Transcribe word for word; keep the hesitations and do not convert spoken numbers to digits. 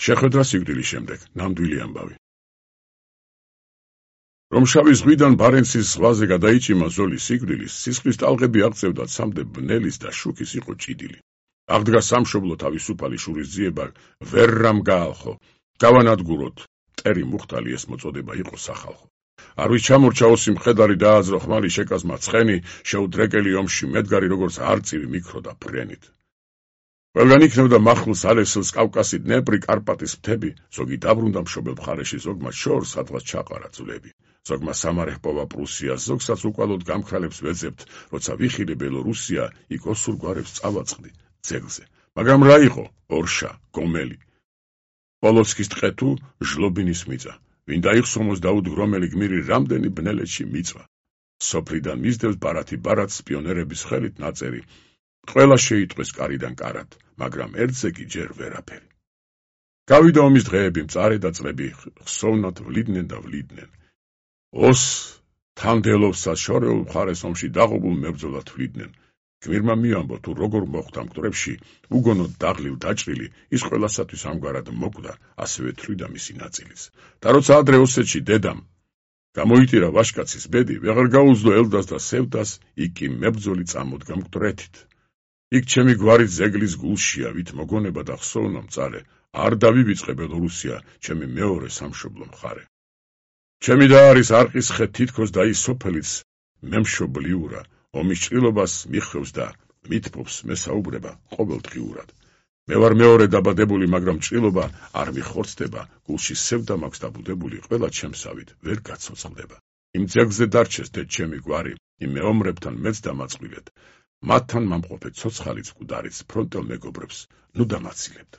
შეხვედრა სიკვდილის შემდეგ, ნამდვილი ამბავი. რომ შავი ზღვიდან ბარენცის ზღვაზე გადაიჭიმა ზოლის სიკვდილის, სისხლის ტალღები აღწევდა ცამდე ბნელის და შუქის იყო ჭიდილი. აღდგა სამშობლო თავისუფალი შურისძიება ვერ რამ გაალხო, გავანადგუროთ, მტერი მუხტალი ეს მოწოდება იყო სახალხო. არ ვის ჩამორჩა ოსი მხედარი დააძრო ხმალი შეკაზმა ცხენი, შეუდრეკელი ომში მედგარი როგორც არწივი მიქროდა ფრენით. ყველგან იქნებდა მახვილს ალესილს კავკასი დნეპრი კარპატის მთები, ზოგი დაბრუნდა მშობელ მხარეში, ზოგმა შორს სადღაც ჩაყარა ძვლები. ზოგმა სამარე ჰპოვა პრუსიას, ზოგსაც უკვალოდ გამქრალებს ვეძებთ, როცა ვიხილე ბელორუსია, იქ ოსურ გვარებს წავაწყდი ძეგლზე. მაგრამ რა იყო? ორშა, გომელი. პოლოცკის ტყე თუ ჟლობინის მიწა. ვინ დაიხსომოს დაუდგრომელი გმირი რამდენი ბნელეთში მიწვა. სოფლიდან მისდევს ბარათი ბარათს პიონერების ხელით ნაწერი. ყველა შეიტყვეს კარიდან კარად, მაგრამ ერთზე კი ჯერ ვერაფერი. გავიდა ომის დღეები, მწარე და წლები, ხსოვნად ვლიდნენ და ვლიდნენ. ოს თანდელოვსა შორეულ მხარეს ომში დაღობულ მებრძოლად ვლიდნენ. გმირმა მიამბო თუ როგორ მოხვდა მკვდრებში, უგონოდ დაღლილ დაჭრილი, ის ყველასათვის ამგვარად მოკვდა, ასევე თვლიდა მისი ნაწილის. და როცა ადრე ოსეთში დედამ გამოიტირა ვაშკაცის ბედი, ვეღარ გაუძლო ელდას და სევდას, იქ კი მებრძოლი წამოდგა მკვდრეთით. იქ ჩემი გვარი ზეგლის გულშია, ვით მოგონება და ხსოვნა მწარე, არ დავივიწყე ბელორუსია, ჩემი მეორე სამშობლო მხარე. ჩემი და არის არყის ხე თითქოს და ის სოფელიც მემშობლიურა, ომის ჭრილობას მიხვევს და მითბობს მესაუბრება ყოველდღიურად. მე ვარ მეორე დაბადებული, მაგრამ ჭრილობა არ მიხორცდება, გულში სევდა მაქვს დაბუდებული, ყველა ჩემსავით ვერ გაცოცხლდება. იმ ძეგლზე დარჩეს დედ ჩემი გვარი, იმ მეომრებთან მეც დამაწვილეთ. მათთან მამყოფე ცოცხალიც მკვდარიც ფრონტელ მეგობრებს ნუ დამაცილებთ.